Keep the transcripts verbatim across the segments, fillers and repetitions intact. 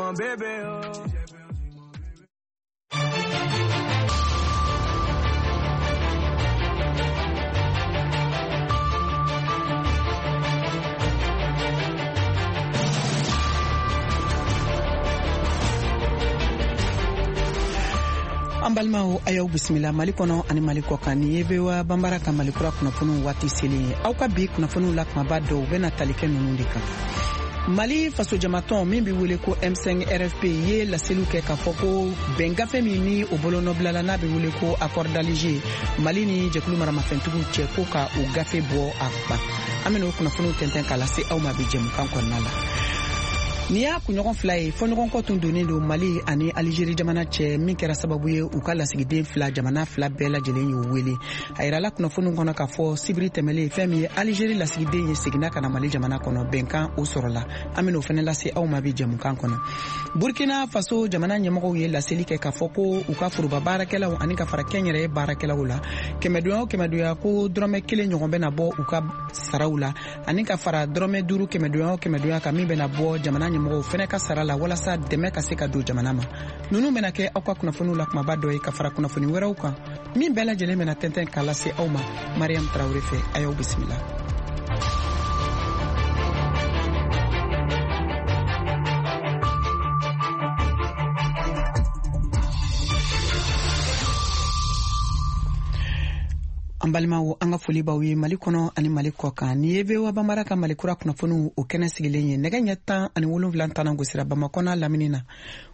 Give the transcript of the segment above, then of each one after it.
mon bébé, oh. An balimaw, a y'aw bisimila Mali kɔnɔ ani Mali kɔ kan. Nin ye V O A Banbara ka Mali kura kunnafoniw waati selen ye. Aw ka bi kunnafoniw la, kumaba dɔw bɛna tali kɛ ninnu de kan: Mali fasojamatɔn min be wele ko M cinq R F P ye laseliw kɛ k'a fɔ ko bɛn gafe min ni o bolonɔbilala, n'a be wele ko accord d'Alger, Mali ni jɛkulu maramafɛntigiw cɛ, ko ka o gafe bɔ a ban. An bena o kunnafoniw tɛntɛn k'a lase aw ma bi jɛmukan kɔnɔna la. Nin y'a kunɲɔgɔn fila ye, fɔɲɔgɔnkɔ tun donnen don Mali ani Alizeri jamana cɛ, min kɛra sababu ye u ka lasigiden fila, jamana fila bɛɛ lajɛlen y'u wele. A yirala kunnafoniw kɔnɔ k'a fɔ sibiri tɛmɛlen, fɛn min ye Alizeri lasigiden ye, seginna ka na Mali jamana kɔnɔ, bɛnkan o sɔrɔla. An ben'o fɛnɛ lase aw ma bi jɛmukan kɔnɔ. Burkina Faso jamana ɲɛmɔgɔw ye laseli kɛ k'a fɔ ko u ka foroba baarakɛlaw ani ka fara kɛnyɛrɛye baarakɛlaw la, kɛmɛdonya o kɛmɛdonya, ko dɔrɔmɛ kelen ɲɔgɔn bɛna bɔ u ka saraw la, ani ka fara dɔrɔmɛ duuru kɛmɛdonya o kɛmɛdonya kan min bɛna bɔ jamana ɲɛmɔgɔw fɛnɛ ka sara la, walasa dɛmɛ ka se ka don jamana ma. Nunu bɛna kɛ aw ka kunnafoniw la kumaba dɔ ye, ka fara kunnafoni wɛrɛw kan min bɛɛ lajɛlen bɛna tɛntɛn k'a lase aw ma Mariam Tarawure fɛ. A y'aw bisimila. An balimaw, an ka foli b'aw ye Mali kɔnɔ ani Mali kɔ kan. Nin ye V O A Banbara ka Mali kura kunnafoniw o kɛnɛ sigilen ye. Nɛgɛ ɲɛ tan ani wolonfila tanna gosira Bamakɔ n'a lamini na,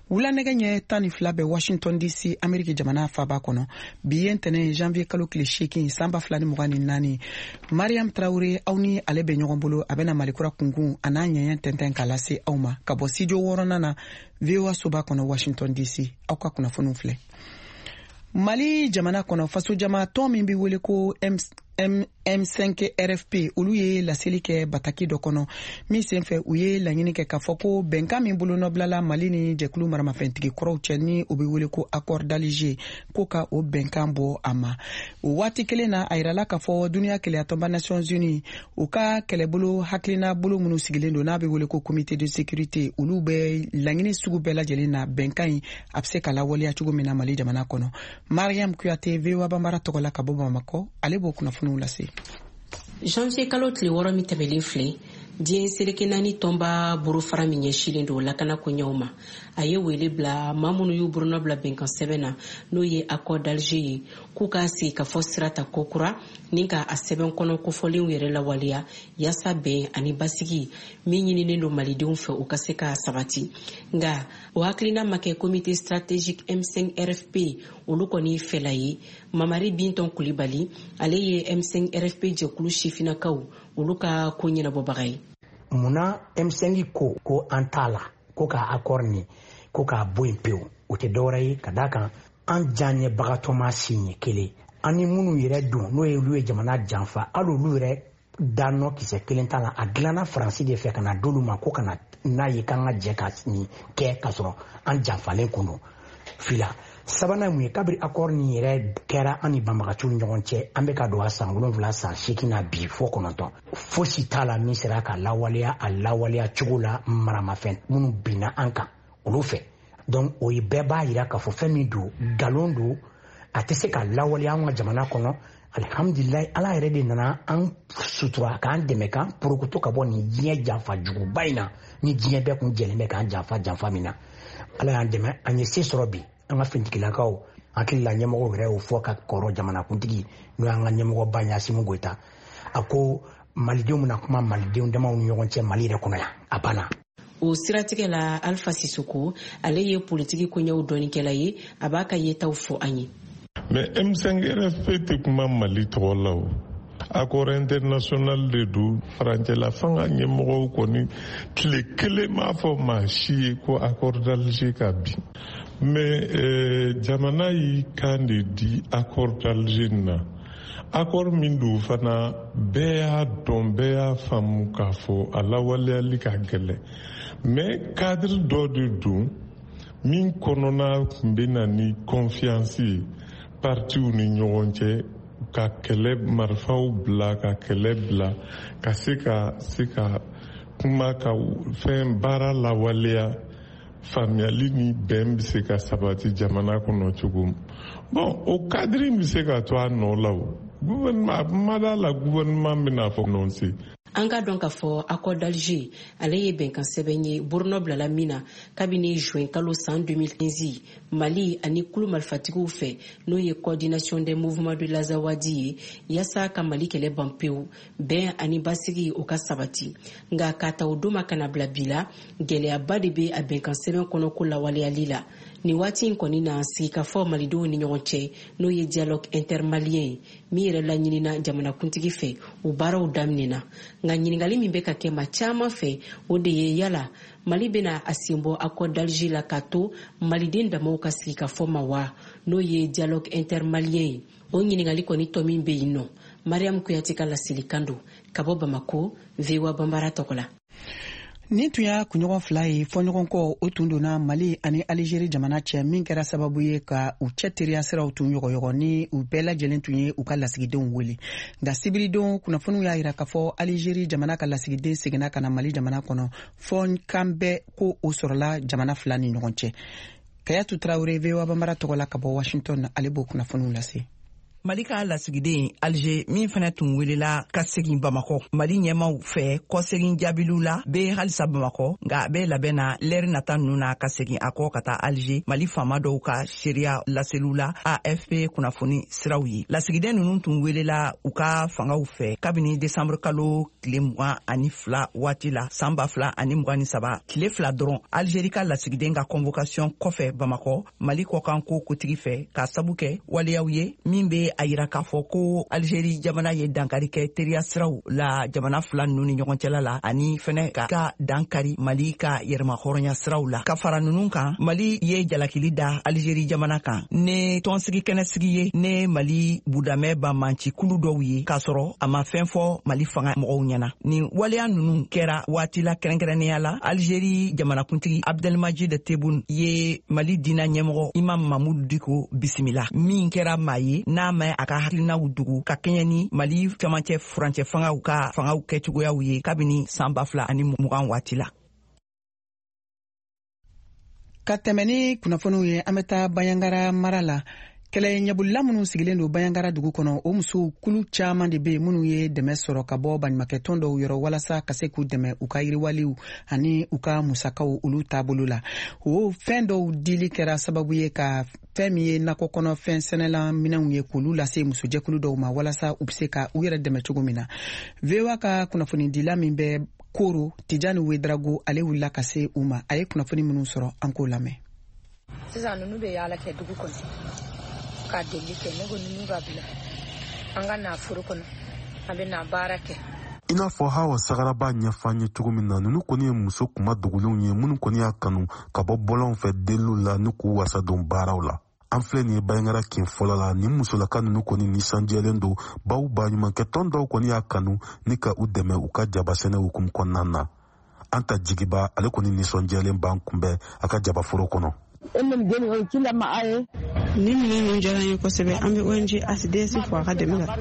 wula nɛgɛ ɲɛ tan ni fila bɛ Washington D C, Ameriki jamana faba kɔnɔ. Bi ye ntɛnɛ, janvier kalo tile seegin, san ba fila ni mugan ni naani. Mariam Tarawure, aw ni ale bɛ ɲɔgɔn bolo. A bɛna Mali kura kunkun a n'a ɲɛɲɛ tɛntɛn k'a lase aw ma ka bɔ studio wɔɔrɔnan na, V O A soba kɔnɔ, Washington D C. Aw ka kunnafoniw filɛ. Mali jamana kɔnɔ, fasojama tɔn min be wele ko M, M5 R F P, olu ye laseli kɛ bataki dɔ kɔnɔ min senfɛ, u ye laɲini kɛ k'a fɔ ko bɛnkan min bolonɔbilala Mali ni jɛkulu maramafɛntigi kɔrɔw cɛ, ni o be wele ko accord d'Alger, ko ka o bɛnkan bɔ a ma. O waati kelen na, a yirala k'a fɔ duniɲa kelenyatɔnba, Nations Unies, u ka kɛlɛbolo hakilina bolo minnu sigilen don, n'a be wele ko comité de sécurité, olu bɛ laɲini sugu bɛɛ lajɛlen na, bɛnkan ɲi a be se ka lawaleya cogo min na Mali jamana kɔnɔ. Mariam Kuyate, V O A Banbara tɔgɔ la ka bɔ Bamakɔ, ale b'o kunnafoniw lase. Janvier kalo tile wɔɔrɔ min tɛmɛlen filɛ, diɲɛ seleke naani tɔnba bolofara min ɲɛsilen don lakana koɲɛw ma, a ye wele bila maa minnu y'u bolonɔ bila bɛnkan sɛbɛn na, n'o ye accord d'Alger ye, k'u k'a sigi ka fɔ sira ta kokura ni ka a sɛbɛn kɔnɔ kofɔlenw yɛrɛ lawaleya, yaasa bɛn ani basigi min ɲininen don malidenw fɛ, u ka se ka sabati. Nga o hakilina ma kɛ comité stratégique M cinq R F P olu kɔni fɛla ye. Mamari Bintɔn Kulibali, ale ye M cinq R F P jɛkulu sifinnakaw olu ka ko ɲɛnabɔbaga ye. Munna M cinq ko ko an t'a la, ko ka accord nin ko k'a bɔ yen pewu? O tɛ dɔwɛrɛ ye ka d'a kan an diyaɲɛbagatɔ ma siɲɛ kelen, an ni minnu yɛrɛ don, n'o ye olu ye jamana janfa, hali olu yɛrɛ danɔ kisɛ kelen t'a la. A dilanna Faransi de fɛ ka na d'olu ma ko ka na n'a ye k'an ka jɛ ka nin kɛ, k'a sɔrɔ an janfalen kun don fila. Sabanan mun ye? Kabiri accord nin yɛrɛ kɛra an ni banbagaciw ni ɲɔgɔn cɛ, an bɛ ka don a san wolonfila, san seegin na bi, fo kɔnɔntɔn, fosi t'a la min sera ka lawaleya a lawaleya cogo la maramafɛn minnu binna an kan olu fɛ. Donc o ye bɛɛ b'a yira k'a fɔ fɛn min don, nkalon don, a tɛ se ka lawaleya an ka jamana kɔnɔ. Alihamudulilayi, Ala yɛrɛ de nana an sutura k'an dɛmɛ k'an porokoto ka bɔ nin diɲɛ janfa juguba in na, ni diɲɛ bɛɛ kun jɛlen bɛ k'an janfa janfa min na. Ala y'an dɛmɛ, an ye se sɔrɔ bi. An ka finitigilakaw hakili la, ɲɛmɔgɔw yɛrɛ y'o fɔ ka kɔrɔ. Jamanakuntigi, n'o y'an ka ɲɛmɔgɔba ye, Asimi Goyita, a ko malidenw bɛna kuma malidenw damaw ni ɲɔgɔn cɛ Mali yɛrɛ kɔnɔ yan, a banna. O siratigɛ la, Alfa Sisoko, ale ye politiki koɲɛw dɔnnikɛla ye, a b'a ka yetaw fɔ an ye. Mais M cinq R F P tɛ kuma Mali tɔgɔ la. O accord international de don. Farancɛla fanga ɲɛmɔgɔw kɔni tile kelen m'a fɔ maa si ye ko accord d'Alger ka bin. Mais eh, jamana y'i kan de di accord d'Alger na. Accord min don fana, bɛɛ y'a dɔn, bɛɛ y'a faamu k'a fɔ a lawaleyali ka gɛlɛn. Mais cadre dɔ de don min kɔnɔna tun bɛ na ni confiance ye partiw ni ɲɔgɔn cɛ, ka kɛlɛ marifaw bila, ka kɛlɛ bila, ka se ka se ka kuma, ka fɛn baara lawaleya. Faamuyali ni bɛn bɛ se ka sabati jamana kɔnɔ cogo min. Bon, o cadre bɛ se ka to a nɔ la o. Gouvernement ma da la, gouvernement bɛna fɔ nonse. An ka dɔn k'a fɔ accord d'Alger ale ye bɛnkan sɛbɛn ye bolonɔ bilala min na kabini juin kalo san deux mille quinze Mali ani kulu marifatigiw fɛ, n'o ye Coordination des mouvements de l'Azawad ye, yaasa ka Mali kɛlɛ ban pewu, bɛn ani basigi o ka sabati. Nka k'a ta o don ma ka na bila bi la, gɛlɛyaba de bɛ a bɛnkan sɛbɛn kɔnɔ ko lawaleyali la. Nin waati in kɔni na, sigikafɔ malidenw ni ɲɔgɔn cɛ, n'o ye dialogue intermalien ye min yɛrɛ laɲinina jamanakuntigi fɛ, o baaraw daminɛna. Nka ɲiningali min bɛ ka kɛ ma caman fɛ, o de ye yala Mali bɛna a sen bɔ accord d'Alger la k'a to maliden damaw ka sigikafɔ ma wa, n'o ye dialogue intermalien ye? O ɲiningali kɔni tɔ min bɛ yen nɔ. Mariam Kuyate ka laselikan don ka bɔ Bamako, V O A Banbara tɔgɔ la. Nin tun y'a kunɲɔgɔn fila ye, fɔɲɔgɔnkɔ o tun donna Mali ani Alizeri jamana cɛ, min kɛra sababu ye ka u cɛ teriya siraw tun yɔgɔyɔgɔ ni u bɛɛ lajɛlen tun ye u ka lasigidenw wele. Nka sibiridon, kunnafoniw y'a yira k'a fɔ Alizeri jamana ka lasigiden seginna ka na Mali jamana kɔnɔ, fɔ kan bɛɛ ko o sɔrɔla jamana fila ni ɲɔgɔn cɛ. Kayatu Tarawele, V O A Banbara tɔgɔ la ka bɔ Washington, ale b'o kunnafoniw lase. Mali ka lasigiden Alger min fɛnɛ tun welela ka segin Bamakɔ Mali ɲɛmaw fɛ kɔsegin jaabiliw la, be halisa Bamakɔ, nka a be labɛn na lɛri nata nunu na ka segin a kɔ ka taa Alger, Mali faama dɔw ka seereya laseliw la A F P kunnafoni siraw ye. Lasigiden nunu tun welela u ka fangaw fɛ kabini desanburu kalo tile mugan ani fila waati la san ba fila ani mugan ni saba, tile fila dɔrɔn Algeri ka lasigiden ka convocation kɔfɛ Bamakɔ Mali kɔkanko kotigi fɛ, k'a sabu kɛ waleyaw ye min be a yira k'a fɔ ko Alizeri jamana ye dankari kɛ teriya siraw la jamana fila nunu ni ɲɔgɔn cɛla la, ani fɛnɛ ka ka dankari Mali ka yɛrɛmahɔrɔnya siraw la. Ka fara nunu kan, Mali ye jalakili da Alizeri jamana kan ne tɔnsigi kɛnɛsigi ye ne Mali budamɛ banbanci kulu dɔw ye, k'a sɔrɔ a ma fɛn fɔ Mali fanga mɔgɔw ɲɛna. Nin waleya nunu kɛra waati la kɛrɛnkɛrɛnnenya la Alizeri jamanakuntigi Abdelmajid Tebboune ye Mali dina ɲɛmɔgɔ Imam Mamudu Diko bisimila, min kɛra maa ye n'a ma a ka hakilinaw dugu ka kɛɲɛ ni Mali camancɛ furancɛ fangaw ka fangaw kɛcogoyaw ye kabini san ba fila ani mugan waati la. Ka tɛmɛ ni kunnafoniw ye, an bɛ taa Banjagara mara la. Kɛlɛ ɲɛbolila minnu sigilen don Banjagara dugu kɔnɔ, o musow kulu caaman de be yen minnu ye dɛmɛ sɔrɔ ka bɔ baɲumakɛtɔn dɔw yɔrɔ walasa ka se k'u dɛmɛ u ka yiriwaliw ani u ka musakaw olu taabolo la. O fɛn dɔw dili kɛra sababu ye ka fɛn min ye nakɔ kɔnɔ fɛn sɛnɛla minɛnw ye, k'olu lase musojɛkulu dɔw ma walasa u be se ka u yɛrɛ dɛmɛ cogo min na. V O A ka kunnafonidila min bɛ Koro, Tijani Wedrago, ale wulila ka se u ma. A ye kunnafoni minnu sɔrɔ, an k'o lamɛn. Sisan ninnu bɛ yaala kɛ dugu kɔnɔ ka deli kɛ. Ne ko ninnu ka bila an ka na foro kɔnɔ, an bɛ na baara kɛ. I n'a fɔ Hawa Sagara b'a ɲɛfɔ an ye cogo min na, nunu kɔni ye muso kuma dogolenw ye minnu kɔni y'a kanu ka bɔ bɔlɔnw fɛ deliw la ni k'u wasa don baaraw la. An filɛ nin ye Banjagara kin fɔlɔ la. Nin musolaka nunu kɔni nisɔndiyalen don, baw baɲumankɛtɔn dɔw kɔni y'a kanu ni ka u dɛmɛ u ka jabasɛnɛ hukumu kɔnɔna na. An ta Jigiba, ale kɔni nisɔndiyalen b'an kunbɛn a ka jabaforo kɔnɔ. Ni minɛn ninnu diyara n ye kosɛbɛ. An bɛ O N G A C D S fo a ka dɛmɛ la.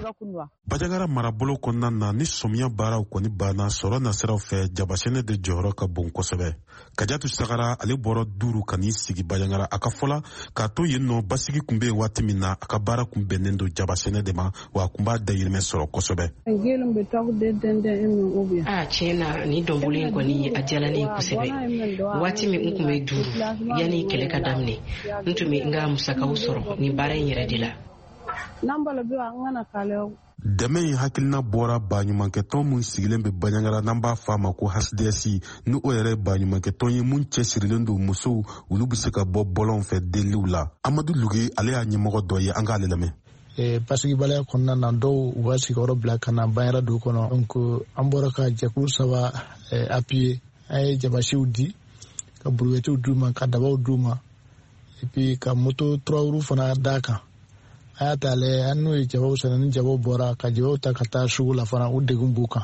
Banjagara marabolo kɔnɔna na, ni sɔmiya baaraw kɔni banna, sɔrɔ nasiraw fɛ, jabasɛnɛ de jɔyɔrɔ ka bon kosɛbɛ. Kajatu Sagara, ale bɔra Duuru ka n'i sigi Banjagara. A ka fɔla k'a to yen nɔ, basigi kun be yen waati min na, a ka baara kun bɛnnen don jabasɛnɛ de ma, wa a kun b'a dayirimɛ sɔrɔ kosɛbɛ. A tiɲɛ na, nin dɔnbolo in kɔni a diyala ne ye kosɛbɛ. Waati min n kun bɛ Duuru, yanni kɛlɛ ka daminɛ, n tun bɛ n ka musakaw sɔrɔ nin baara in yɛrɛ de la. Dɛmɛ in hakilina bɔra baɲumankɛtɔn mun sigilen bɛ Banjagara, n'an b'a fɔ a ma ko H D S, ni o yɛrɛ ye baɲumankɛtɔn ye mun cɛsirilen don musow olu bɛ se ka bɔ bɔlɔnw fɛ deliliw la. Amadu Luge, ale y'a ɲɛmɔgɔ dɔ ye, an k'ale lamɛn. Basigibaliya kɔnɔna na, dɔw u ka sigiyɔrɔ bila ka na Banjagara dugu kɔnɔ. Donc an bɔra ka jɛkulu saba appuyer. An ye jabasiw di, ka brouettew d'u ma, ka dabaw d'u ma, et puis ka moto trois roues fana d'a kan. A y'a ta lajɛ, an n'u ye jabaw sɛnɛ, ni jabaw bɔra ka jabaw ta ka taa sugu la fana, u degun b'u kan.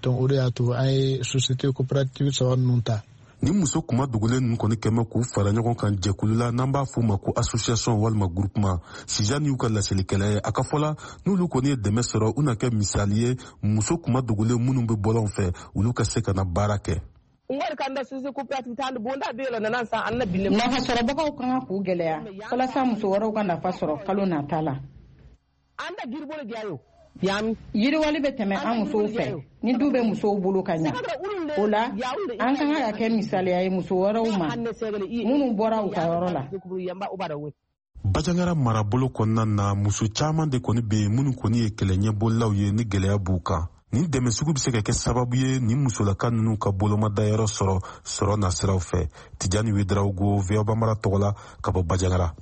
Donc o de y'a to an ye société coopérative saba ninnu ta. Ni muso kuma dogolen ninnu kɔni kɛmɛ k'u fara ɲɔgɔn kan jɛkulu la, n'an b'a f'u ma ko association walima groupement, Sijan y'u ka laselikɛla ye. A ka fɔla, n'olu kɔni ye dɛmɛ sɔrɔ, u na kɛ misali ye muso kuma dogolen minnu bɛ bɔlɔn fɛ, olu ka se ka na baara kɛ. Nafasɔrɔbagaw ka kan k'u gɛlɛya walasa muso wɛrɛw ka nafa sɔrɔ kalo nata la. Yiriwali bɛ tɛmɛ an musow fɛ ni du bɛ musow bolo ka ɲa. O la, an ka kan ka kɛ misaliya ye muso wɛrɛw ma minnu bɔra u ka yɔrɔ la. Bajangara marabolo kɔnɔna na, muso caman de kɔni bɛ yen minnu kɔni ye kɛlɛ ɲɛbolilaw ye ni gɛlɛya b'u kan. Nin dɛmɛ sugu bɛ se ka kɛ sababu ye ni musolaka ninnu ka bolomadayɔrɔ sɔrɔ sɔrɔ nasiraw fɛ. Tijani Wedarawogo, V O A Bambara tɔgɔ la ka bɔ Bajangara.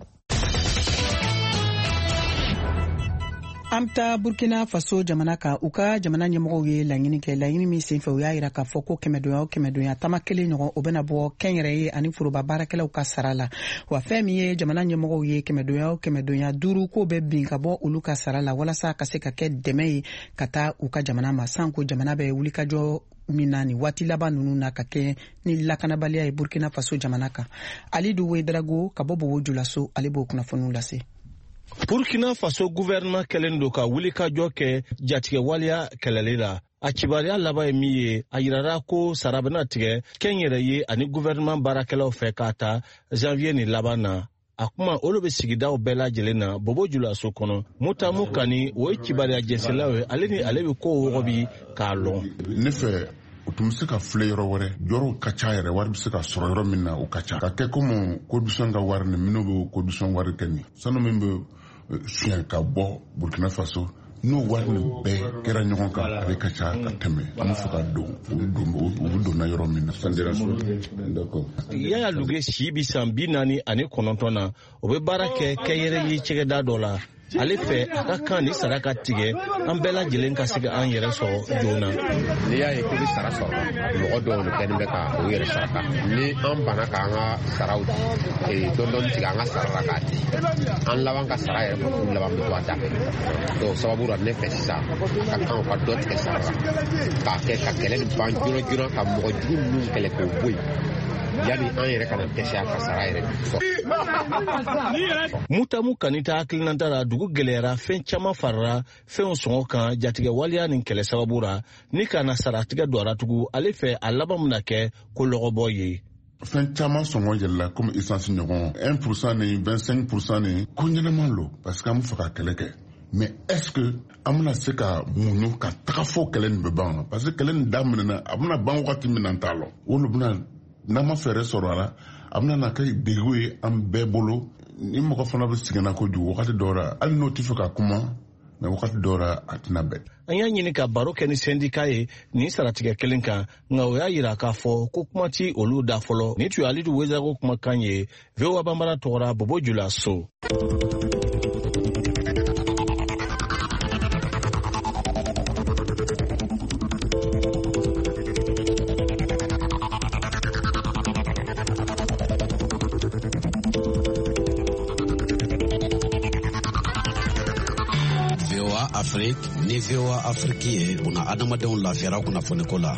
An bɛ taa Burkina Faso jamana kan. U ka jamana ɲɛmɔgɔw ye laɲini kɛ, laɲini min senfɛ u y'a yira k'a fɔ ko kɛmɛdonya o kɛmɛdonya tama kelen ɲɔgɔn o bɛna bɔ kɛnyɛrɛye ani foroba baarakɛlaw ka sara la. Wa fɛn min ye jamana ɲɛmɔgɔw ye kɛmɛdonya o kɛmɛdonya duuru k'o bɛ bin ka bɔ olu ka sara la walasa ka se ka kɛ dɛmɛ ye ka taa u ka jamana ma, sanko jamana bɛ wulikajɔ min na nin waati laban ninnu na ka kɛ ni lakanabaliya ye Burkina Faso jamana kan. Alidu Wedarago ka bɔ Bobo Julaso, ale b'o kunnafoniw lase. Burkina Faso gouvernement kɛlen don ka wulikajɔ kɛ jatigɛwaleya kɛlɛli la. A kibaruya laban ye min ye, a yirara ko sara bɛna tigɛ kɛnyɛrɛye ani gouvernement baarakɛlaw fɛ k'a ta janvier ni laban na. A kuma olu bɛ sigidaw bɛɛ lajɛlen na Bobo Julaso kɔnɔ. Mutamu Kani, o ye kibaruya jɛnsɛlaw ye, ale ni ale bɛ kow wɔgɔbi k'a lɔn. Ne fɛ, u tun bɛ se ka filɛ yɔrɔ wɛrɛ, yɔrɔw ka ca yɛrɛ, wari bɛ se ka sɔrɔ yɔrɔ min na o ka ca. Ka kɛ komi corruption ka wari ni minnu bɛ corruption wari kɛ nin, sanu min bɛ suɲɛ ka bɔ Burkina Faso, n'o wari nin bɛɛ kɛra ɲɔgɔn kan, a bɛ ka ca ka tɛmɛ. An bɛ fɛ ka don u bɛ donna yɔrɔ min na. Yaya Luge si bi san bi naani ani kɔnɔntɔn na, o bɛ baara kɛ kɛnyɛrɛye cɛgɛda dɔ la. Ale fɛ a ka kan ni sara ka tigɛ, an bɛɛ lajɛlen ka se ka an yɛrɛ sɔrɔ joona. N'i y'a ye k'i bɛ sara sɔrɔ, mɔgɔ dɔw de kɛlen bɛ ka u yɛrɛ saraka. Ni an banna k'an ka saraw dɔɔni dɔɔni tigɛ an ka sara la k'a di, an laban ka sara yɛrɛ k'u laban bɛ to a da fɛ. Donc sababu la ne fɛ sisan, a ka kan u ka dɔ tigɛ sara la k'a kɛ ka kɛlɛ nin ban joona joona, ka mɔgɔ jugu ninnu kɛlɛ k'o bɔ yen, yanni an yɛrɛ kana dɛsɛ a ka sara yɛrɛ sɔrɔ. Mutamu Kani ta hakilinata la, dugu gɛlɛyara, fɛn caman farala fɛnw sɔngɔ kan jatigɛ waleya nin kɛlɛ sababu la. Ni ka na saratigɛ don a la tugun, ale fɛ a laban bɛna kɛ ko lɔgɔbɔ ye. Fɛn caman sɔngɔ yɛlɛla komi essence ɲɔgɔn un pour cent ni vingt-cinq pour cent ni ko ɲɛnama lo, parce que an bɛ fɛ ka kɛlɛ kɛ. Mais est-ce que an bɛna se ka muɲu ka taga fo kɛlɛ nin bɛ ban? Parce que kɛlɛ nin daminɛna, a bɛna ban wagati min na an t'a lɔn. O de bɛna, n'an ma fɛɛrɛ sɔrɔ a la, a bɛna na kɛ degun ye an bɛɛ bolo. Ni mɔgɔ fana bɛ sɛgɛnna kojugu wagati dɔw la, hali n'o tɛ fɛ ka kuma, mɛ wagati dɔw la a tɛna bɛn. An y'a ɲini ka baro kɛ ni sɛndika ye nin saratigɛ kelen kan, nka o y'a yira k'a fɔ ko kuma ti olu da fɔlɔ. Nin tun ye Alidu Wezago kumakan ye V O A Bambara tɔgɔ la Bobo Julaso. Afrique ni V O A Afrique ye una adamadenw lafiyara kunnafoniko la.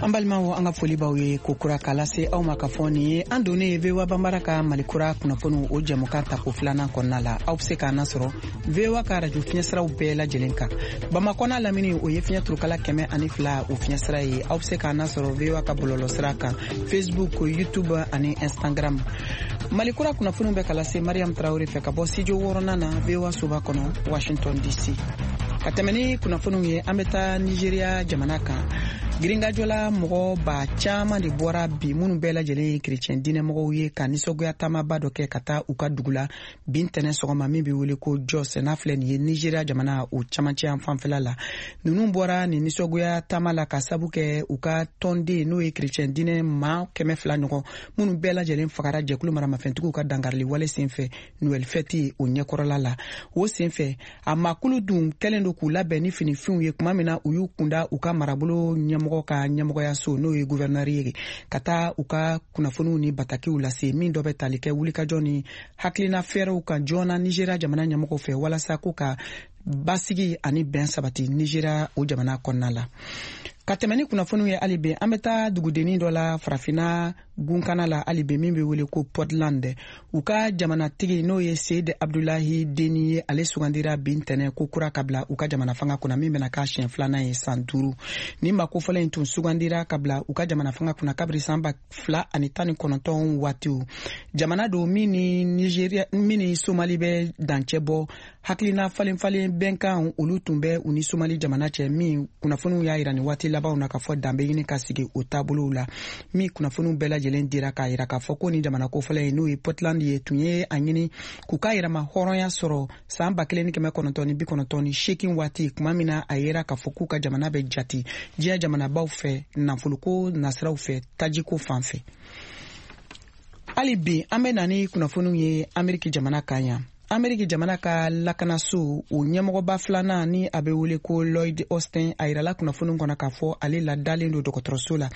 An balimaw, an ka foli b'aw ye ko kura k'a lase aw ma ka fɔ nin ye an donnen ye V O A Bambara ka Malikura kunnafoniw o jɛmukan tako filanan kɔnɔna la. Aw bɛ se k'an nasɔrɔ V O A ka radio fiɲɛsiraw bɛɛ lajɛlen kan. Bamakɔ n'a lamini o ye fiɲɛ turukala kɛmɛ ani fila o fiɲɛsira ye. Aw bɛ se k'an nasɔrɔ V O A ka bɔlɔlɔsira kan, Facebook, YouTube ani Instagram. Malikura kunnafoniw bɛ ka lase Mariam Traoré fɛ ka bɔ studio wɔɔrɔnan na V O A soba kɔnɔ, Washington D C. Ka tɛmɛ ni kunnafoniw ye, an bɛ taa Nigeria jamana kan. Girinkajɔ la mɔgɔ ba caman de bɔra bi minnu bɛɛ lajɛlen ye kerecɛn diinɛmɔgɔw ye ka nisɔngoya taamaba dɔ kɛ ka taa u ka dugu la bi ntɛnɛn sɔgɔma min bɛ wele ko Jos, n'a filɛ nin ye Nigeria jamana o camancɛ yan fanfɛla la. Ninnu bɔra nin nisɔngoya taama la ka sabu kɛ u ka tɔnden n'o ye kerecɛn diinɛ maa kɛmɛ fila ɲɔgɔn minnu bɛɛ lajɛlen fagara jɛkulu maramafɛntigiw ka dankarili wale senfɛ Noël fɛti o ɲɛkɔrɔla la. O senfɛ a maakulu dun kɛlen don k'u labɛn ni finifinw ye tuma min na u y'u kunda u ka marabolo ɲɛmɔgɔ ka ɲɛmɔgɔyaso n'o ye gouverneur ye ka taa u ka kunnafoniw ni batakiw lase min dɔ bɛ tali kɛ wulikajɔ ni hakilina fɛɛrɛw kan joona Nigeria jamana ɲɛmɔgɔw fɛ walasa ko ka basigi ani bɛn sabati Nigeria o jamana kɔnɔna la. Ka tɛmɛ ni kunnafoniw ye hali bi, an bɛ taa dugudennin dɔ la Farafinna gunkana la hali bi min bɛ wele ko Puntland. U ka jamanatigi n'o ye Seyid Abdulahi Deni ye, ale sugandira bi ntɛnɛn ko kura ka bila u ka jamana fanga kunna, min bɛna k'a siɲɛ filanan ye san duuru. Ni maa kofɔlen in tun sugandira ka bila u ka jamana fanga kunna kabiri san ba fila ani tan ni kɔnɔntɔn waatiw. Jamana don min ni Nigeria, min ni Somali bɛ dancɛ bɔ. Hakilina falen falen bɛnkan olu tun bɛ u ni Somali jamana cɛ, min kunnafoniw y'a yira nin waati labanw na k'a fɔ danbe ɲini ka sigi o taabolow la. Min kunnafoniw bɛɛ lajɛlen dira k'a yira k'a fɔ ko ni jamana kofɔlɔ in n'o ye Puntland ye tun ye a ɲini k'u ka yɛrɛma hɔrɔnya sɔrɔ san ba kelen ni kɛmɛ kɔnɔntɔn ni bi kɔnɔntɔn ni seegin waati, tuma min na a yera k'a fɔ k'u ka jamana bɛ jate diɲɛ jamanabaw fɛ nafoloko nasiraw fɛ tajiko fan fɛ. Hali bi an bɛ na ni kunnafoniw ye Ameriki jamana kan yan. Ameriki jamana ka lakanaso o ɲɛmɔgɔba filanan ni a bɛ wele ko Lloyd Austin, a yirala kunnafoni kɔnɔ k'a fɔ ale ladalen don dɔgɔtɔrɔso la.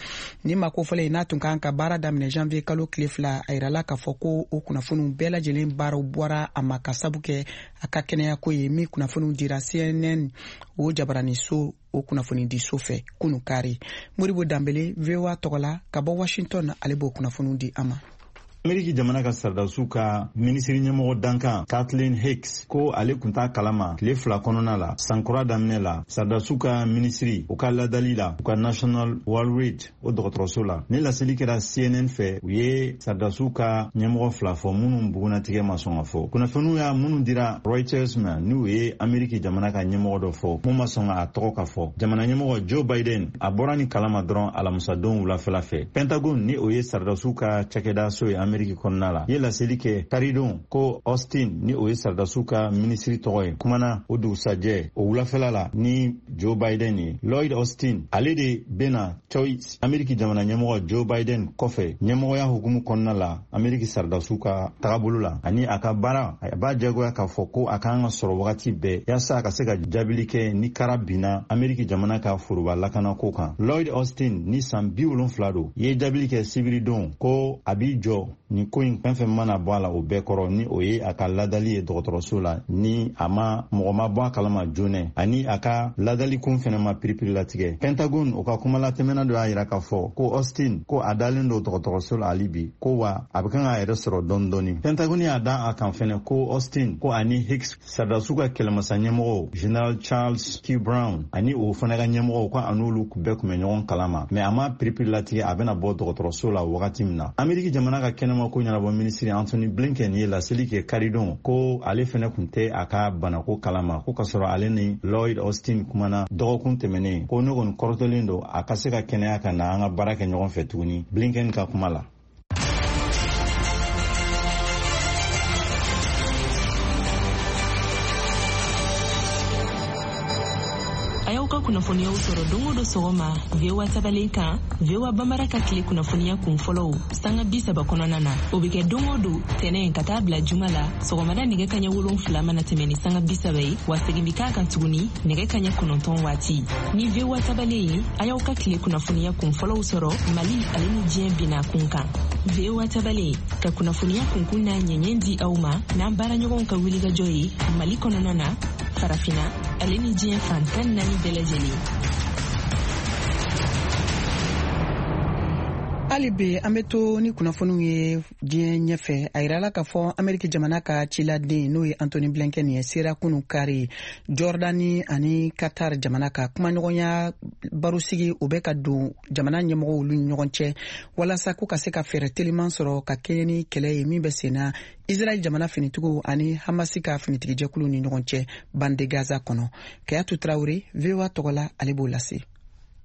Ni maa kofɔlen in n'a tun kan ka baara daminɛ janvier kalo tile fila, a yirala k'a fɔ ko o kunnafoniw bɛɛ lajɛlen baaraw bɔra a ma ka sabu kɛ a ka kɛnɛyako ye, min kunnafoniw dira C N N o jabaraniso o kunnafonidiso fɛ kunu kari. Moribo Danbele, V O A tɔgɔ la ka bɔ Washington, ale b'o kunnafoniw di an ma. Ameriki jamana ka sardasiw ka minisiri ɲɛmɔgɔ dankan Kathleen Hicks ko ale kun t'a kalama tile fila kɔnɔna la sankura daminɛ la sardasiw ka minisiri u ka ladali la u ka National Walter Reed o dɔgɔtɔrɔso la. Ni laseli kɛra C N N fɛ, u ye sardasiw ka ɲɛmɔgɔ fila fɔ minnu bugunatigɛ ma sɔn ka fɔ. Kunnafoniw y'a minnu dira Reuters ma n'u ye Ameriki jamana ka ɲɛmɔgɔ dɔ fɔ mun ma sɔn a tɔgɔ ka fɔ. Jamana ɲɛmɔgɔ Joe Biden a bɔra ni kalama dɔrɔn alamisadon wulafɛla fɛ. Pentagon ni o ye sardasiw ka cakɛdaso ye Ameriki kɔnɔna la ye laseli kɛ karidon ko Austin ni o ye sardasiw ka minisiri tɔgɔ ye kumana o dugusajɛ o wulafɛla la ni Joe Biden ye. Lloyd Austin ale de bena Choice Ameriki jamana ɲɛmɔgɔ Joe Biden kɔfɛ ɲɛmɔgɔya hukumu kɔnɔna la Ameriki sardasiw ka tagabolo la ani a ka baara a b'a jagoya k'a fɔ ko a kan ka sɔrɔ wagati bɛɛ yaasa a ka se ka jaabili kɛ ni kara binna Ameriki jamana ka foroba lakanako kan. Lloyd Austin ni san bi wolonfila don ye jaabili kɛ sibiridon ko a b'i jɔ nin ko in fɛn fɛn mana bɔ a la o bɛɛ kɔrɔ ni o ye a ka ladali ye dɔgɔtɔrɔso la ni a ma mɔgɔ ma bɔ a kalama joona ani a ka ladali kun fɛnɛ ma piripiri latigɛ. Pentagon o ka kumalatɛmɛna dɔ y'a yira k'a fɔ ko Austin ko a dalen don dɔgɔtɔrɔso la hali bi ko wa a bɛ kan k'a yɛrɛ sɔrɔ dɔɔni dɔɔni. Pentagon y'a da a kan fɛnɛ ko Austin ko ani Hicks sardasiw ka kɛlɛmasa ɲɛmɔgɔw General Charles Q Brown ani o fana ka ɲɛmɔgɔw ko a n'olu bɛɛ kun bɛ ɲɔgɔn kalama mɛ a ma piripiri latigɛ a bɛna bɔ dɔgɔtɔrɔso la wagati min na. Ameriki jamana ka kɛnɛma ko ɲɛnabɔ minisiri Anthony Blinken ye laseli kɛ karidon ko ale fɛnɛ kun tɛ a ka banako kalama ko kasɔrɔ ale ni Lloyd Austin kumana dɔgɔkun tɛmɛnen ko ne kɔni kɔrɔtɔlen don a ka se ka kɛnɛya ka na an ka baara kɛ ɲɔgɔn fɛ tuguni Blinken ka kuma la. A y'aw ka kunnafoniyaw sɔrɔ don o don sɔgɔma V O A tabalen kan, V O A Bambara ka tile kunnafoniya kun fɔlɔw sanga bi saba kɔnɔna na. O bɛ kɛ don o don tɛnɛn ka taa bila juma la sɔgɔmada nɛgɛ kaɲɛ wolonfila mana tɛmɛ ni sanga bi saba ye, wa segin bɛ k'a kan tuguni nɛgɛ kaɲɛ kɔnɔntɔn waati. Ni V O A tabalen ye, a y'aw ka tile kunnafoniya kun fɔlɔw sɔrɔ Mali ale ni diɲɛ binna kun kan. V O A tabalen ka kunnafoniya kunkun n'a ɲɛɲɛ di aw ma n'an baaraɲɔgɔnw ka wulikajɔ ye Mali kɔnɔna na, Farafina ale ni diɲɛ fan tan naani bɛɛ lajɛlen. Hali bi an bɛ to ni kunnafoniw ye diɲɛ ɲɛfɛ. A yirala k'a fɔ Ameriki jamana ka ciladen n'o ye Anthony Blinken ye sera kunu kari Jordani ani Qatar jamana ka kumaɲɔgɔnya barosigi o bɛ ka don jamana ɲɛmɔgɔw olu ni ɲɔgɔn cɛ walasa ko ka se ka fɛɛrɛ teliman sɔrɔ ka kɛɲɛ ni kɛlɛ ye min bɛ senna Israɛl jamana finitigiw ani Hamasi ka finitigijɛkulu ni ɲɔgɔn cɛ bande Gaza kɔnɔ. Kayatu Traore, V O A tɔgɔ la, ale b'o lase.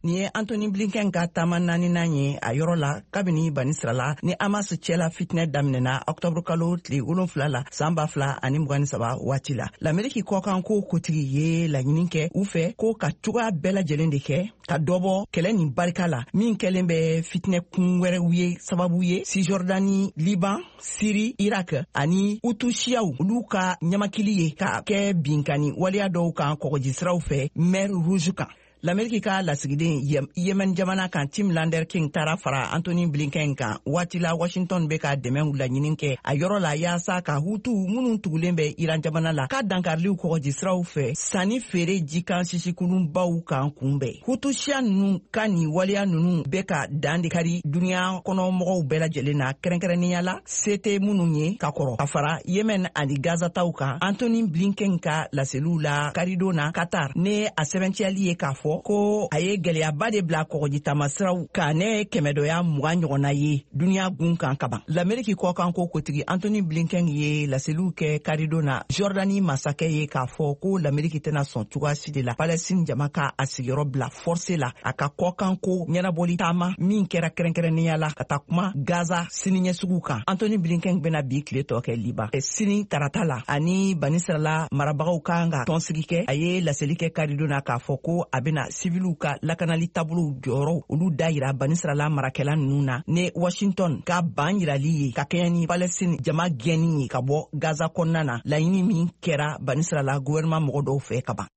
Nin ye Anthony Blinken ka taama naaninan ye a yɔrɔ la kabini banisirala ni Hamas cɛla fitinɛ daminɛna octobre kalo tile wolonfila la san ba fila ani mugan ni saba waati la. Lameriki kɔkanko kotigi ye laɲini kɛ u fɛ ko ka cogoya bɛɛ lajɛlen de kɛ ka dɔ bɔ kɛlɛ nin barika la min kɛlen bɛ fitinɛ kun wɛrɛw ye sababu ye Cisjordanie, Liban, Syrie, Irak ani Hutu-siyaw olu ka ɲamakili ye ka kɛ binkani waleya dɔw kan kɔgɔjisiraw fɛ Mer Rouge kan. Lameriki ka lasigiden Yemen jamana kan Tim Lander King taara fara Antony Blinken kan waati la Washington bɛ ka dɛmɛw laɲini kɛ a yɔrɔ la yaasa ka Hutu minnu tugulen bɛ Iran jamana la ka dankariliw kɔgɔji siraw fɛ sanni feere jikan sisikulunbaw kan kunbɛn. Hutu siya ninnu ka nin waleya ninnu bɛ ka dan de kari duniya kɔnɔ mɔgɔw bɛɛ lajɛlen na, kɛrɛnkɛrɛnnenya la se tɛ minnu ye ka kɔrɔ ka fara Yemen ani Gaza taw kan. Antony Blinken ka laseliw la karidon na Qatar ne a sɛbɛntiyali ye k'a fɔ ko a ye gɛlɛyaba de bila kɔgɔji taamasiraw kan ne kɛmɛdɔya mugan ɲɔgɔnna ye duniya gun kan kaban. Lameriki kɔkanko kotigi Antony Blinken ye laseliw kɛ karidon na Jordani masakɛ ye k'a fɔ ko Lameriki tɛna sɔn cogoya si de la Palestine jama ka a sigiyɔrɔ bila forcé la a ka kɔkanko ɲɛnabɔli taama min kɛra kɛrɛnkɛrɛnnenya la ka taa kuma Gaza siniɲɛsuguw kan. Antony Blinken bɛna bi tile tɔ kɛ Liban sini tarata la ani Banisirala marabagaw kan ka tɔnsigi kɛ. A ye laseli kɛ karidon na k'a fɔ ko a bɛna siviliw ka lakanali taabolow jɔyɔrɔw olu da yira Banisirala marakɛla ninnu na ne Washington ka ban yirali ye ka kɛɲɛ ni Palestine jama gɛnni ye ka bɔ Gaza kɔnɔna na, laɲini min kɛra Banisirala gouvernement mɔgɔ dɔw fɛ ka ban.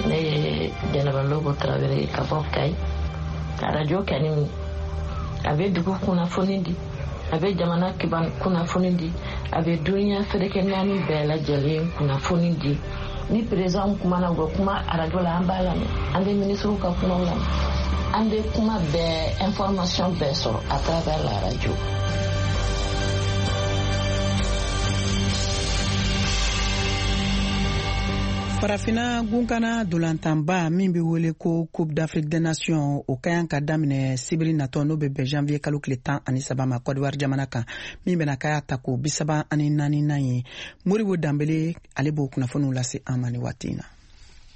Ne ye Jɛnɛba Lobo Tarawele ka bɔ Kayi. Arajo kani a bɛ dugu kunnafoni di, a bɛ jamana kunnafoni di, a bɛ duniya ferekɛ naani bɛɛ lajɛlen kunnafoni di. Ni président kumana, u bɛ kuma arajo la, an b'a lamɛn, an bɛ minisiriw ka kumaw lamɛn, an bɛ kuma bɛɛ, information bɛɛ sɔrɔ à travers la radio. Farafina gunkana dolantanba min bɛ wele ko Coupe d'Afrique des Nations, o ka kan ka daminɛ sibiri natɔ, n'o bɛ bɛn janvier kalo tile tan ani saba ma Côte d'Ivoire jamana kan, min bɛna k'a tako bi saba ani naaninan ye. Moribo Danbele, ale b'o kunnafoniw lase an ma nin waati in na.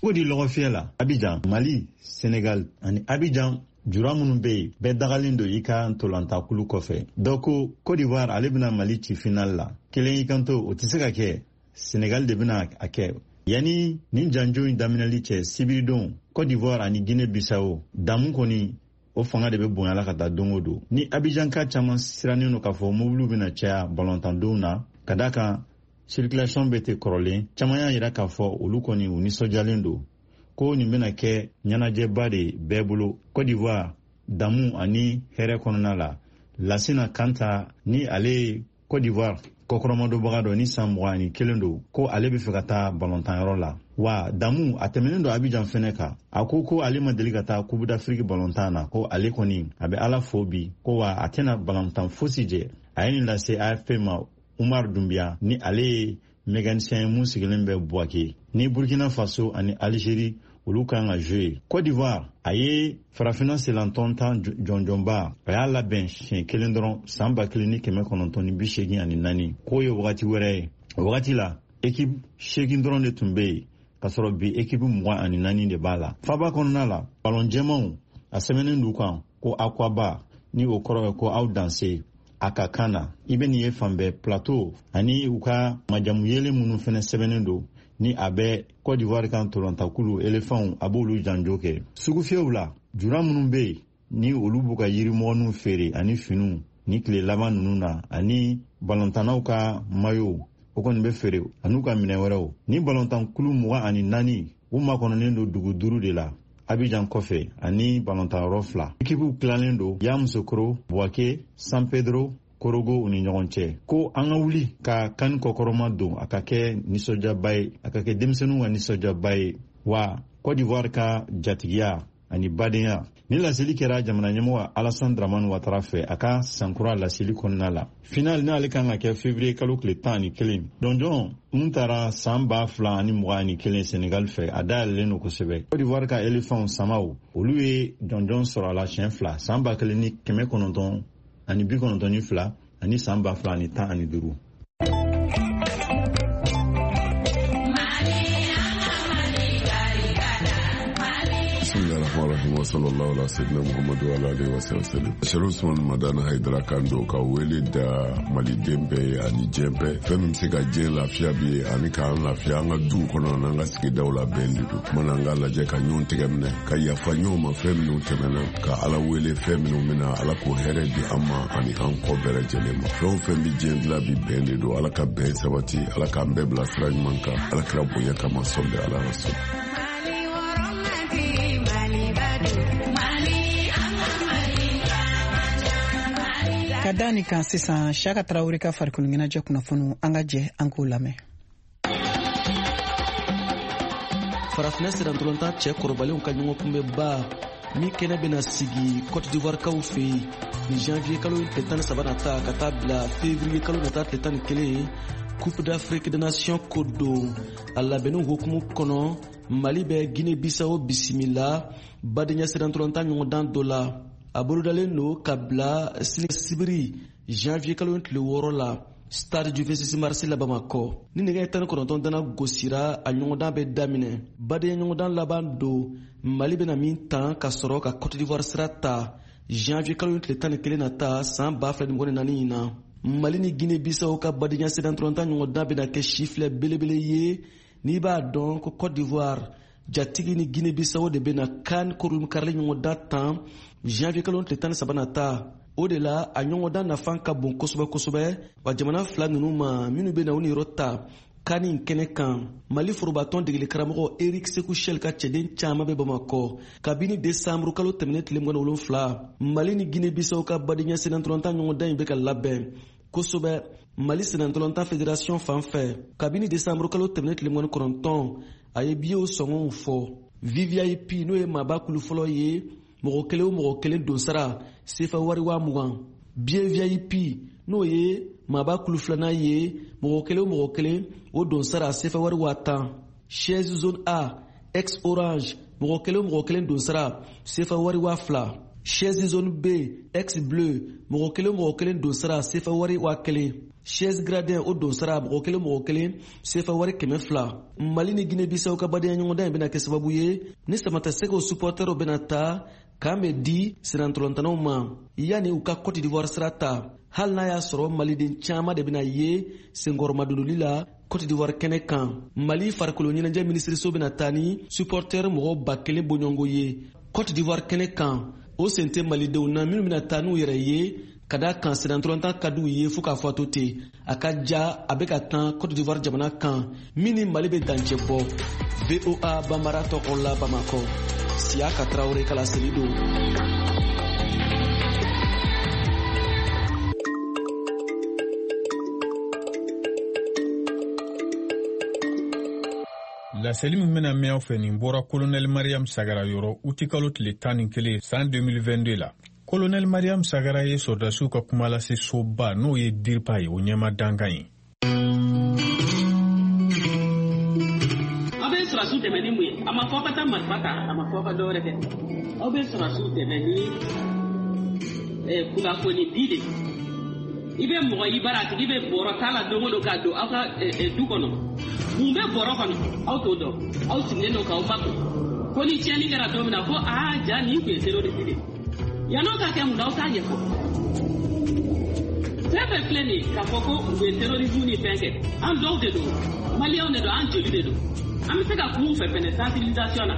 O di lɔgɔfiyɛ la Abidjan, Mali, Senegal ani Abidjan jura minnu bɛ yen, bɛɛ dagalen don i ka ntolantakulu kɔfɛ. Dɔ ko Côte d'Ivoire ale bɛna Mali ci final la, kelen y'i kanto o tɛ se ka kɛ, Senegal de bɛna a kɛ. Yanni nin janjo in daminɛli cɛ sibiridon, Côte d'Ivoire ani Guinée Bissau damu kɔni o fanga de bɛ bonya la ka taa don o don. Ni Abidjanka caman sirannen don k'a fɔ mobiliw bɛna caya balontandenw na, ka d'a kan circulation bɛ ten kɔrɔlen, caman y'a yira k'a fɔ olu kɔni u nisɔndiyalen don ko nin bɛna kɛ ɲɛnajɛba de bɛɛ bolo Côte d'Ivoire damu ani hɛrɛ kɔnɔna la. Lasina Kanta ni ale ye Côte d'Ivoire kɔkɔrɔmadonbaga dɔ ni san mugan ani kelen don, ko ale bɛ fɛ ka taa balɔntanyɔrɔ la wa damu a tɛmɛnen don Abidjan fɛnɛ kan. A ko ko ale ma deli ka taa Coupe d'Afrique balɔntan na, ko ale kɔni a bɛ Ala fo bi, ko wa a tɛna balɔntan fosi jɛ. A ye nin lase A F P ma. Umar Dumbiya ni ale ye mécanicien mun sigilen bɛ Buwake ni Burkina Faso ani Algérie olu kan ka jouer. Côte d'Ivoire a ye farafinna selantɔn tan jɔnjɔnba, a y'a labɛn siɲɛ kelen dɔrɔn san ba kelen ni kɛmɛ kɔnɔntɔn ni bi seegin ani naani, k'o ye wagati wɛrɛ ye. O wagati la équipe seegin dɔrɔn de tun bɛ yen, k'a sɔrɔ bi équipe mugan ani naani de b'a la. Faba kɔnɔna la, balon jɛmanw a sɛbɛnnen d'u kan ko Akwaba, ni o kɔrɔ ye ko aw danse a ka kan na. I bɛ nin ye fan bɛɛ, plateau ani u ka majamu yelen minnu fɛnɛ sɛbɛnnen don ni a bɛ Côte d'Ivoire kan tolantakulu elefanw a b'olu janjo kɛ. Sugufiyɛw la, jura minnu bɛ yen ni olu b'u ka yirimɔgɔninw feere ani finiw ni tile laban ninnu na, ani balontannaw ka mayo o kɔni bɛ feere an'u ka minɛn wɛrɛw. Ni balontankulu mugan ani naani u makɔnɔnen don dugu duuru de la Abidjan kɔfɛ ani balontanyɔrɔ fila. Ekipuw tilalen don Yamoussoukro, Bouaké, San Pedro, Korogo u ni ɲɔgɔn cɛ. Ko an ka wuli ka kan kɔkɔrɔma don, a ka kɛ nisɔndiyaba ye, a ka kɛ denmisɛnninw ka nisɔndiyaba ye wa Côte d'Ivoire ka jatigiya ani badenya. Ni laseli kɛra jamana ɲɛmɔgɔ Alassane Dramane Ouattara fɛ a ka sankura laseli kɔnɔna la. Final n'ale kan ka kɛ février kalo tile tan ani kelen. Dɔnjɔn mun taara san ba fila ani mugan ani kelen Senegal fɛ, a dayɛlɛlen don kosɛbɛ. Côte d'Ivoire ka éléphants samaw olu ye jɔnjɔn sɔrɔ a la siɲɛ fila, san ba kelen ni kɛmɛ kɔnɔntɔn ani bi kɔnɔntɔn ni fila ani san ba fila ani tan ani duuru. Bismillahirrahmanirrahim wa sallallahu ala sayyidina Muhammadu wa ala alihi wa sallam. Sherif Usman Madani Haidara kan don ka wele da maliden bɛɛ ye ani diɲɛ bɛɛ. Fɛn min bɛ se ka diɲɛ lafiya bi ye ani k'an lafiya an ka duw kɔnɔ n'an ka sigidaw la bɛn de don. Kuma n'an k'a lajɛ ka ɲɔgɔn tɛgɛ minɛ ka yafa ɲɔgɔn ma fɛn minnu tɛmɛna ka Ala wele fɛn minnu bɛna Ala k'o hɛrɛ di an ma ani an kɔ bɛɛ lajɛlen ma. Fɛn o fɛn bɛ diɲɛ dilan bi bɛn de don. Ala ka bɛn sabati, Ala k'an bɛɛ bila sira ɲuman kan, Ala kira bonya kama sɔli ala rasul. Ka da nin kan sisan, Siyaka Tarawele ka farikolo ɲɛnajɛ kunnafoniw, an ka jɛ an k'o lamɛn. Farafinna sirantolontan cɛ kɔrɔbalenw ka ɲɔgɔn kunbɛnba min kɛnɛ bɛna sigi Cote d'Ivoire kaw fɛ yen ni janvier kalo tile tan ni saba nata ka taa bila février kalo nata tile tan ni kelen, Coupe d'Afrique des Nations ko don. A labɛnniw hukumu kɔnɔ, Mali bɛ Guinée Bissau bisimila badenya sirantolontan ɲɔgɔndan dɔ la. A bolodalen don ka bila sini sibiri janvier kalo tile wɔɔrɔ la stade du vingt-six mars la Bamakɔ. Ni nɛgɛ tan ni kɔnɔntɔn dana gosira, a ɲɔgɔndan bɛ daminɛ. Badenya ɲɔgɔndan laban don, Mali bɛna min tan ka sɔrɔ ka Cote d'Ivoire sira ta janvier kalo tile tan ni kelen nata san ba fila ni mugan ni naani in na. Mali ni Guinée Bissau ka badenya sirantolontan ɲɔgɔndan bɛna kɛ sifilɛ belebele ye n'i b'a dɔn ko Cote d'Ivoire jatigi ni Guinée Bissau de bɛna CAN kurunkarili ɲɔgɔndan tan janvier kalo tile tan ni saba nata. O de la a ɲɔgɔndan nafa ka bon kosɛbɛ kosɛbɛ wa jamana fila ninnu ma minnu bɛna u niyɔrɔ ta CAN in kɛnɛ kan. Mali forobatɔn degeli karamɔgɔ Eric Sekou Chelle ka cɛden caman bɛ Bamakɔ kabini desanburu kalo tɛmɛnen tile mugan ni wolonfila. Mali ni Guinée Bissau ka badenya sennantolatan ɲɔgɔndan in bɛ ka labɛn kosɛbɛ Mali sennantolatan fédération fan fɛ. Kabini desanburu kalo tɛmɛnen tile mugan ni kɔnɔntɔn, a ye biyew sɔngɔw fɔ. V V I P n'o ye maaba kulu fɔlɔ ye, mɔgɔ kelen o mɔgɔ kelen donsara sefa wari waa mugan. Biye V I P n'o ye maaba kulu filanan ye, mɔgɔ kelen o mɔgɔ kelen o donsara sefa wari waa tan. Chaise zone A ex orange, mɔgɔ kelen o mɔgɔ kelen donsara sefa wari waa fila. Chaise zone B ex bleu, mɔgɔ kelen o mɔgɔ kelen donsara sefa wari waa kelen. Chaise gradin o donsara mɔgɔ kelen mɔgɔ kelen sefa wari kɛmɛ fila. Mali ni Guinée Bissau ka badenya ɲɔgɔndan in bɛna kɛ sababu ye ni samatasɛgɛw supportɛrw bɛna ta k'an bɛ di sennantolantanaw ma yanni u ka Cote d'Ivoire sira ta, hali n'a y'a sɔrɔ maliden caman de bɛna ye senkɔrɔmadonli la Cote d'Ivoire kɛnɛ kan. Mali farikolo ɲɛnajɛ minisiriso bɛna taa ni supportɛr mɔgɔ ba kelen bɔɲɔgɔnko ye Cote d'Ivoire kɛnɛ kan. O sen tɛ malidenw na minnu bɛna taa n'u yɛrɛ ye ka da kan sennantolatan ka d'u ye fo k'a fɔ a to ten. A ka ja a bɛ ka tan Cote d'Ivoire jamana kan min ni Mali bɛ dancɛ bɔ. V O A Bambara tɔgɔ la Bamakɔ, Siyaka Tarawele ka laseli don. Laseli min bɛna mɛn aw fɛ nin bɔra Colonel Mariam Sagara yɔrɔ utikalo tile tan ni kelen san deux mille vingt-deux la. Colonel Mariam Sagara ye sɔrɔdasiw ka kumalase soba n'o ye DIRPA ye, o ɲɛma dankan ye. Aw bɛ sɔrɔdasiw dɛmɛ ni mun ye? A ma fɔ ka taa marifa ta, a ma fɔ ka dɔwɛrɛ kɛ. Aw bɛ sɔrɔdasiw dɛmɛ ni kunnafoni di de. I bɛ mɔgɔ i bara a tigi bɛ bɔrɔ t'a la don o don k'a don aw ka du kɔnɔ. Mun bɛ bɔrɔ kɔnɔ? Aw t'o dɔn. Aw sigilen don k'aw makun. Ko ni tiɲɛni kɛra don min na ko aa ja nin tun ye terroriste de ye. Yann'o ka kɛ mun na aw t'a ɲɛfɔ. Fɛn fɛn filɛ nin ye k'a fɔ ko u ye terrorisme ni fɛn kɛ, an dɔw de don, maliyɛnw de don, an joli de don. An bɛ se ka kuma u fɛ fɛnɛ sensibilisation na.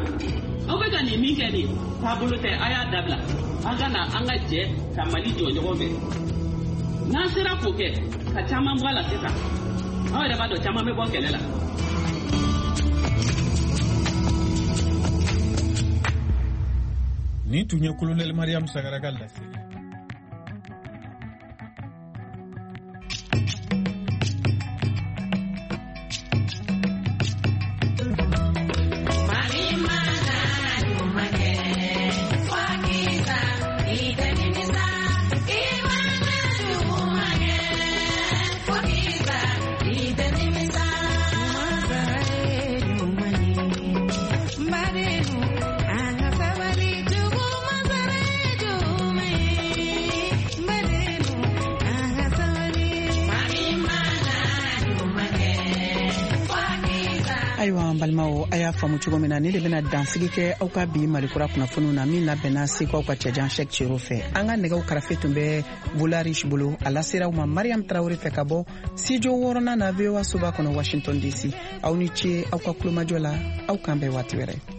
Aw bɛ ka nin min kɛ nin taabolo tɛ, a y'a dabila. An ka na an ka jɛ ka Mali jɔ ɲɔgɔn fɛ. N'an sera k'o kɛ ka caman bɔ a la sisan, aw yɛrɛ b'a dɔn caman bɛ bɔ kɛlɛ la. Nin tun ye Colonel Mariam Sagara ka laseli. An ka sabali jugu ma sara ye jugu ye. Ayiwa an balimaw, a y'a faamu cogo min na, ne de bɛna dansigi kɛ aw ka bi Malikura kunnafoniw na min labɛnna Segu aw ka cɛjan Cheick Cero fɛ. An ka nɛgɛw karafe tun bɛ Volarish bolo, a lasera aw ma Mariam Tarawele fɛ ka bɔ studio wɔɔrɔnan na V O A soba kɔnɔ, Washington D C. Aw ni ce aw ka kulomajɔ la, aw k'an bɛn waati wɛrɛ.